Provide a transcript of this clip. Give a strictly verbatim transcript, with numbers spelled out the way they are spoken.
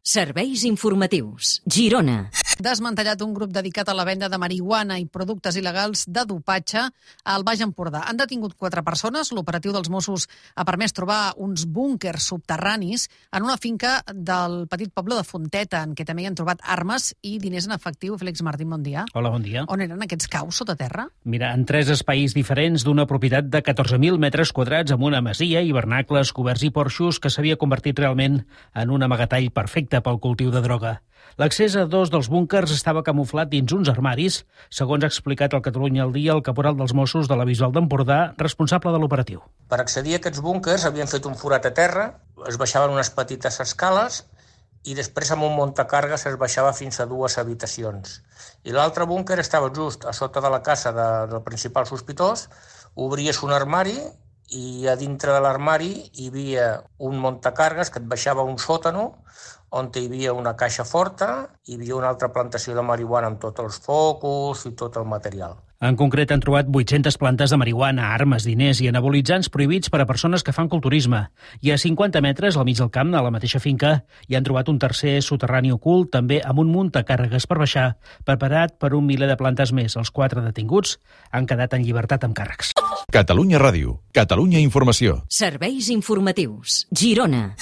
Serveis informatius. Girona. Desmantellat un grup dedicat a la venda de marihuana i productes il·legals de dopatge al Baix Empordà. Han detingut quatre persones. L'operatiu dels Mossos ha permès trobar uns búnquers subterranis en una finca del petit poble de Fonteta, en què també hi han trobat armes i diners en efectiu. Félix Martín, bon dia. Hola, bon dia. On eren aquests caus sota terra? Mira, en tres espais diferents d'una propietat de catorze mil metres quadrats amb una masia, hivernacles, coberts i porxos que s'havia convertit realment en un amagatall perfecte pel cultiu de droga. L'accés a dos dels búnquers estava camuflat dins uns armaris, segons ha explicat al Catalunya al Dia el caporal dels Mossos de la Bisbal d'Empordà, responsable de l'operatiu. Per accedir a aquests búnquers havien fet un forat a terra, es baixaven unes petites escales i després amb un muntacargues es baixava fins a dues habitacions. I l'altre búnquer estava just a sota de la casa de, del principal sospitós, obries un armari i a dintre de l'armari hi havia un muntacargues que et baixava un sòtano on hi havia una caixa forta, hi havia una altra plantació de marihuana amb tots els focus i tot el material. En concret, han trobat vuit-centes plantes de marihuana, armes, diners i anabolitzants prohibits per a persones que fan culturisme. I a cinquanta metres, al mig del camp, a la mateixa finca, hi han trobat un tercer soterrani ocult, també amb un muntacàrregues per baixar, preparat per un miler de plantes més. Els quatre detinguts han quedat en llibertat amb càrrecs. Catalunya Ràdio. Catalunya Informació. Serveis informatius. Girona.